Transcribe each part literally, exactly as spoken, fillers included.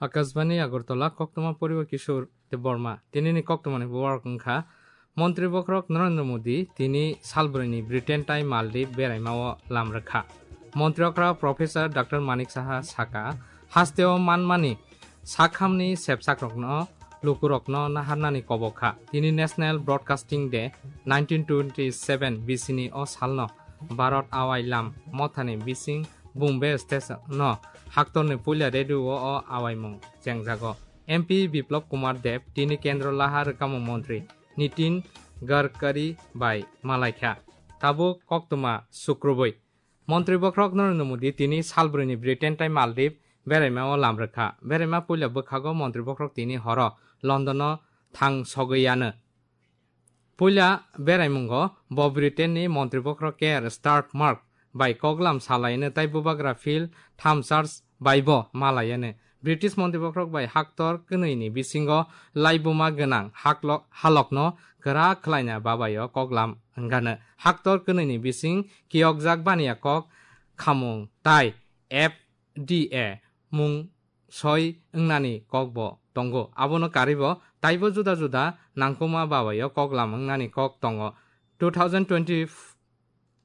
Akashbani Agartala, koktwma poribo Kishore Debbarma. Tinini koktwmani borok wngkha Montri Bokhorok Narendra Modi, tini salbrwini Britain tai Maldives beraimao lam rwkha. Montri okra Professor Doctor Manik Saha saka, hasteo manmani sakhamni sepsakrokno, lukurokno naharnani kobok kha. Tini National Broadcasting Day nineteen twenty seven bisini o salno Bharat Awai Lam mothani bising Bombay Station no haktorni puila radio o awaimung chengjago. M P Biplab Kumar Deb tini kendro laha rwkamung montri Nitin Gadkari bai malaikha. Tabuk koktwma sukrubui. Montri Bokhorok Narendra Modi tini salbrwini Britain tai Maldives beraimao lam rwkha. Beraima puila bwkhago Montri Bokhorok tini horo London o thang sogwi ano. Puila beraimungo bo Britain ni Montri Bokhorok Keir Starmer bai koklam salaino tai bubagra Phil Hammond bai bo malaiyano. British Montri Bokhorok bai haktor kwnwi ni bisingo laibuma gwnang haklok-, halokno kwrak khlaina babaio koklam wngano. Haktor kwnwi ni bising kiyokjak baniya kok khamung tai F D A mung soi wngnani kokbo tongo. Abono karwibo taibo juda juda nangkukma babaio koklam wngnani kok tongo. Two thousand twenty,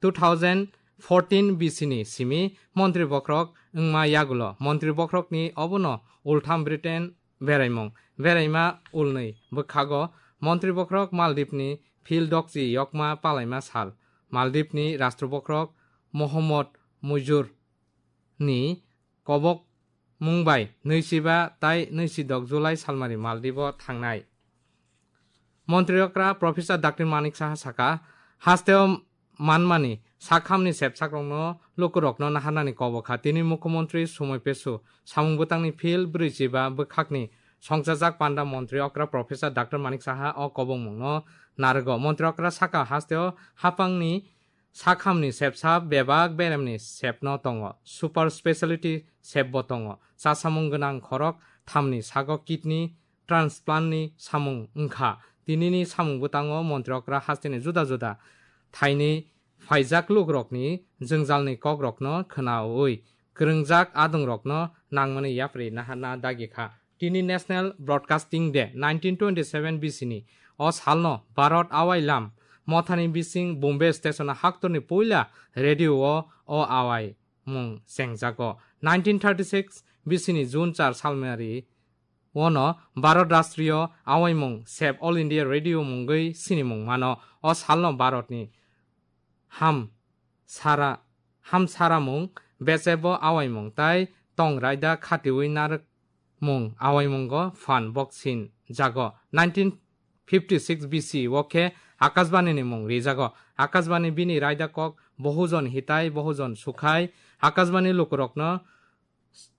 two thousand fourteen bisini simi Montri Bokhorok wngma yagulo Montri Bokhorokni obono ultham Britain beraimung. Beraima ulnwi bwkhago Montri Bokhorok Maldives ni Phil Dokchi yokma palaima sal. Maldives ni Rashtra Bokhorok Mohammad Mujur ni kobok mung bai nwichiba tai nwichidok July salmari Maldives o thangnai. Montri okra Professor Doctor Manik Saha saka, hasteo manmani sakhamni sepsakrokno lukurokno naharnani kobok kha. Tini Mukhyamantri Sumay Pesu samung bwtangni Phil brwichiba bwkhakni songchajak panda Montri okra Professor Doctor Manik Saha o kobokmungno narwgo. Montri okra saka hasteo hapangni sakhamni sepsa bebak beremni sepno tongo, super speciality sepbo tongo. Chasamung gwnang khorok thamni sago kidney transplant ni samung wngkha. Tinini samung bwtango Montri okra hasteni juda juda thaini phaijak lukurokni jwngjalni kokrokno khwnaui kwrwngjak adongrokno nangmani yapri naharna dagi kha. Tini National Broadcasting Day nineteen twenty seven bisini o salno Bharat Awai Lam mothani bising Bombay Station haktorni puila radio o o awai mung chengjago. Nineteen thirty six bisini June char salmari ono Bharat Rashtriyo Awaimung sep All India Radio mungwi sinimung mano. O salno Bharatni ham sara, ham saramung, bechebo awaimung tai tong raida khatiui narwkmung awaimungo phan boksin jago. Nineteen fifty six B C o khe Akashbani ni mung rijago. Akashbani bini raida kok Bohujon Hitai, Bohujon Sukhai, Akashbani lukurokno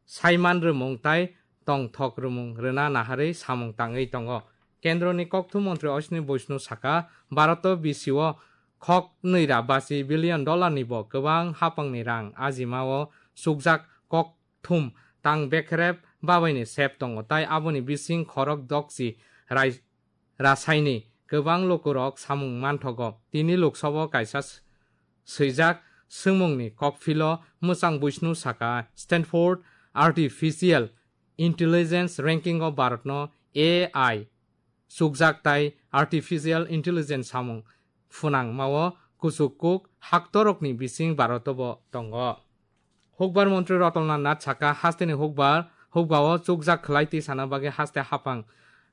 saiman rwmung tai tongthok rwmung rwna naharwi samung tangwi tongo. Kendroni kokthum montri Ashwini Vaishnaw saka, Bharat o B C o khok nwi ra basi billion dollar ni bo kwbang hapangni rang ajima o chukjak kokthum tang bekrep babaini sep tongo, tai aboni bising khorok dokchi rai-, rasaini kwbang lukurok samung manthogo. Tini Lok Sabha o kaisa s-, swijak swngmungni kokphilo mwchang Vaishnaw saka, Stanford Artificial Intelligence Ranking o Bharatno A I chukjak tai Artificial Intelligence samung phwnangmao kuchuk kuk haktorokni bising Bharat o bo tongo. Hukbar montri Ratan Lal Nath saka, hasteni hukbar, hukbao chukjak khlai tisana bagwi haste hapang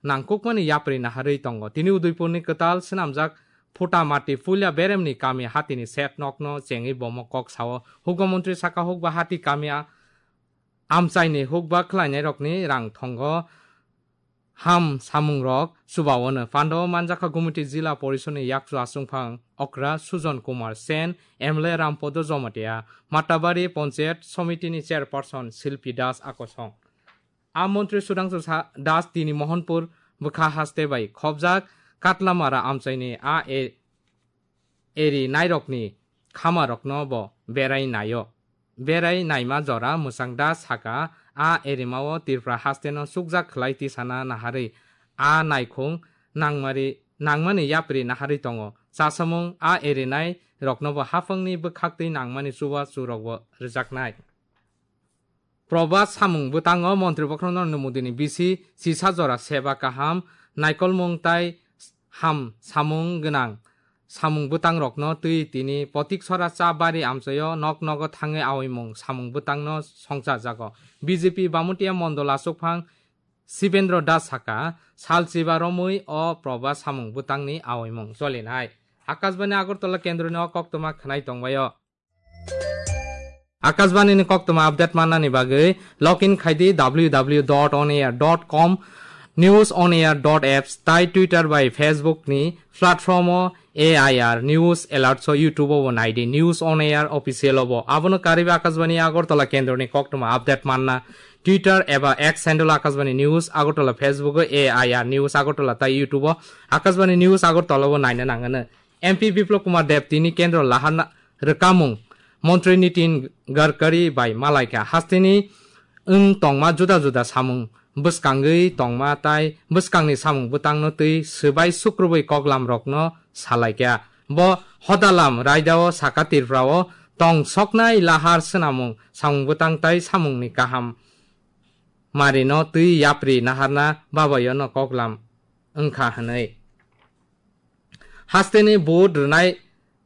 nangkukmani yapri naharwi tongo. Tini Udaipurni kwtal swnamjak Phutamati puila beremni kami hatini set nokno chengwi bomo kok sao. Hukba montri saka, hukba hati kami a-, amchaini hukba khlainairokni rang thongo ham samungrok chubaono. Pandao manjakha Gumiti Jila Porishodni yakchu achungphang okra Sujon Kumar Sen, M L A Rampodo Jomatia, Matabari Ponchayat Somitini Chairperson Silpi Das akosong. A montri Sudhangshu Sa-, Das tini Mohanpur bwkha haste bai khobjak Katlamara amchaini a e-, eri nairokni khamarokno bo berai naio. Berai naima jora mwchang da saka, a erimao Tripura hasteno chukjak khlai tisana naharwi a naikhung nangmari, nangmani yapri naharwi tongo. Chasamung a erinai roknobo haphangni bwkhaktwi nangmani chubachu rokbo rwjaknai. Probas samung bwtango Montri Bokhorok Narendra Modi ni bisi chisa jora seba kaham, naikolmung tai ham samung gwnang samung bwtang rokno twi tini Potiksora cha bari amchaio nok nogo thangwi aoimung samung bwtangno songchajago. B J P Bamutia Mondol achukphang Sibendra Das saka, salchiba romwi o proba samung bwtangni aoimung cholinai. Akashbani Agartala kendroni o koktwma khwnai tongbaio. Akashbani ni koktwma update mannani bagwi login khaidi w w w dot on air dot com, news on air dot apps tai Twitter bai Facebook ni platform o A I R News Alerts o YouTube o bo naidi News on Air Official o bo. Abono karwi Akashbani Agartala kendroni koktwma update manna Twitter eba X handle Akashbani News Agartala, Facebook o A I R News Agartala tai YouTube o Akashbani News Agartala o bo naina nangano. M P Biplab Kumar Deb tini kendro laharna rwkamung Montri Nitin Gadkari bai malaikha. Hasteni wng tongma juda juda samung bwskangwi tongma tai bwskangni samung bwtangno twi swbai sukrubwi koklam rokno salaikha. Bo hodalam raidao saka Tripura o tong soknai lahar swnamung samung bwtang tai samungni kaham marino twi yapri naharna babayono koklam wngkha hwnwi. Hasteni vote rwnai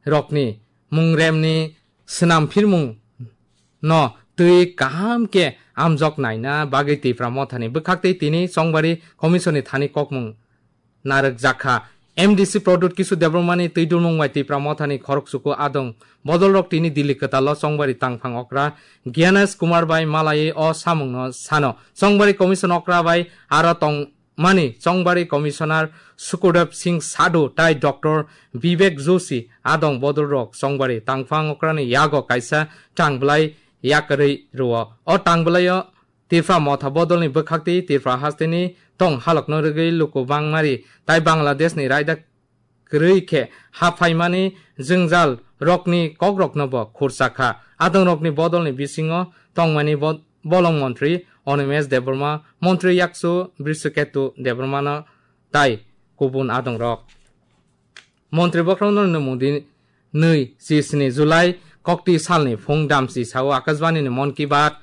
rokni mungremni swnam phirmung no twi kaham khe amjok naina bagwi Tipra Mothani bwkhaktwi tini Chongbari Commission ni thani kokmung narwkjakha. M D C Pradyut Kishore Debbarma ni twi dulmung bai Tipra Mothani khoroksuku adong bodolrok tini Delhi kwtalo Chongbari tangphang okra Gyanesh Kumar bai malaiwi o samungno sano. Chongbari Commission okra bai aro tong mani Chongbari Commissioner Sukhdev Singh Sadhu tai Doctor Vivek Joshi adong bodolrok Chongbari tangphang okrani yago kaisa tangbwlai yakarwi rwo. O tangbwlaio Tipra Motha bodolni bwkhaktwi Tipra hasteni tong halokno rwgwi luku bangmari tai Bangladeshni raida kwrwi khe haphaimani jwngjal rokni kokrokno bo khurchakha. Adongrokni bodolni bisingo tongmani bo-, bolong montri Animesh Debbarma, montri yakchu Brishaketu Debbarmano tai kubun adongrok. Montri Bokhorok Narendra Modi nwi chi sni July kokti salni phung damchi sao Akashbani ni Mon Ki Baat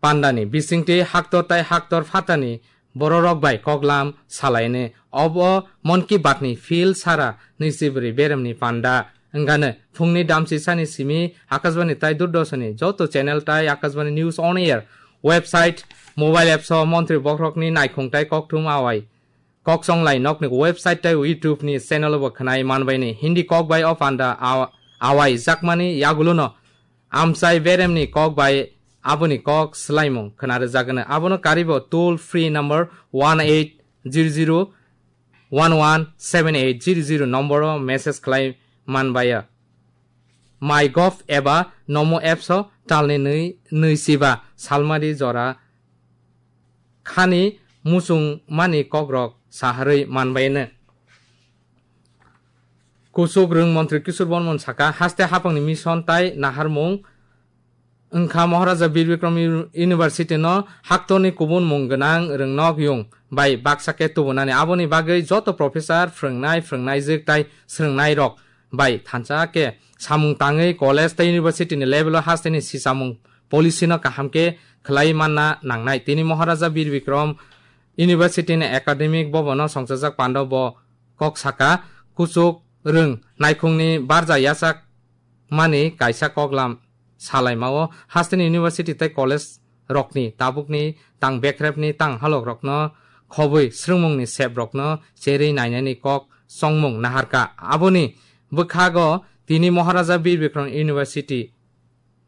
pandani bisingtwi haktor tai haktor phatani bororok bai koklam salaini. Obo Mon Ki Baat ni phil sara nwichibrwi beremni panda wngano. Phungni damchisani simi Akashbani tai Doordarshan ni joto channel tai Akashbani News on Air website, mobile apps o montri bokhorokni naikhung tai kokthum awai Kok songlai nokni website tei YouTube ni channel bo khwnai manbaini Hindi kok bai o panda aw-, awai jakmani yagulono amchai beremni kok bai aboni kok swlaimung khwnarwjakgwno. Abono karibo toll free number one eight zero zero one one seven eight zero zero number o message khlai manbaiya. MyGov eba Namo apps o talni nwi, nwi chiba salmari jora khani muchungmani kokrok saharwi manbaino. Kuchuk rwng montri Kishore Bormon saka, haste haphangni mission tai naharmung wngkha Maharaja Bir Bikram U-, University no haktorni kubun mung gwnang rwngnok yung bai baksa khe tubunani. Aboni bagwi joto professor, phrwngnai, phrwngnaijwk tai swrwngnairok bai thansa khe samung tangwi college tei university ni level o hasteni sisamung policy no kaham khe khwlai manna nangnai. Tini Maharaja Bir Bikram University ni academic bhavan o songchajak panda bo kok saka, kuchuk rwng naikhungni barja yachak mani kaisa koklam salaimao hasteni university tei college rokni tabukni tang bekrepni tang halok rokno khobwi swrwngmungni sep rokno cherwi nainani kok chongmung naharkha. Aboni bwkhago tini Maharaja Bir Bikram University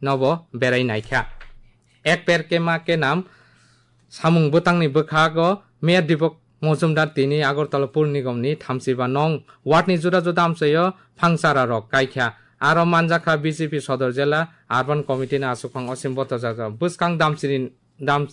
nobo berai naikha. Ek per ke ma ke nam samung bwtangni bwkhago Mayor Deepak Mojumdar tini Agartala Pur Nigom ni thamsiba nong ward ni juda juda amchaio phangchara rok kaikha. Aro manjakha B J P Sodor Jela Urban Committee ni aswkphang Osim Bhattacharya. Bwskang damchini dam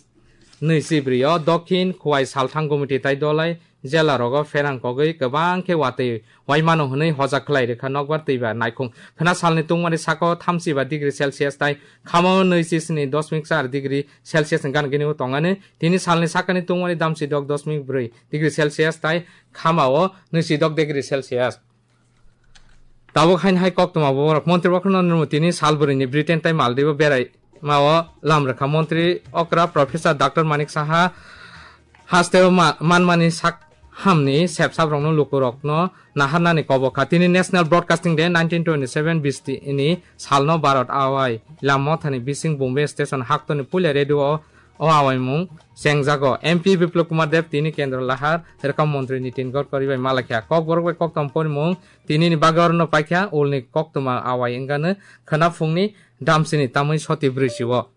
nwi chibri o Dokhin Khowai Salthang Gumiti tai Dolai jela rogo pherang kogwi kwbang khe watwi waimano hwnwi hojak khlai rwkha nokbar twiba naikhung. Khwna salni tungmani saka o thamsiba degree Celsius tai khama o nwi chi sni dosmik char degree Celsius ni gan gini o tongani. Tini salni sakani tungmani damchi dok dosmik brwi degree Celsius tai khama o nwi chi dok degree Celsius. Tabuk hain hai koktwma borok Montri Bokhorok Narendra Modi tini salbwrwini Britain tai Maldives o berai Mao lamrwkha montri okra Professor Doctor Manik Saha hasteo ma-, manmani sak hamni sepsaprokno lukurokno naharnani kobok kha. Tini National Broadcasting Day nineteen twenty-seven bisti ni salno Bharat awai lam mothani bising Bombay station haktoni puila radio o, o awaimung chengjago. M P Biplab Kumar Deb tini Kendra Lahar, Rwkha Montri Nitin Gadkari bai malakha. Kokborok bai kokthom porimung tinini bagwi orono paikha, ulni koktwma awai wngkha khwnaphungni damsini tamwi soti brwi si o.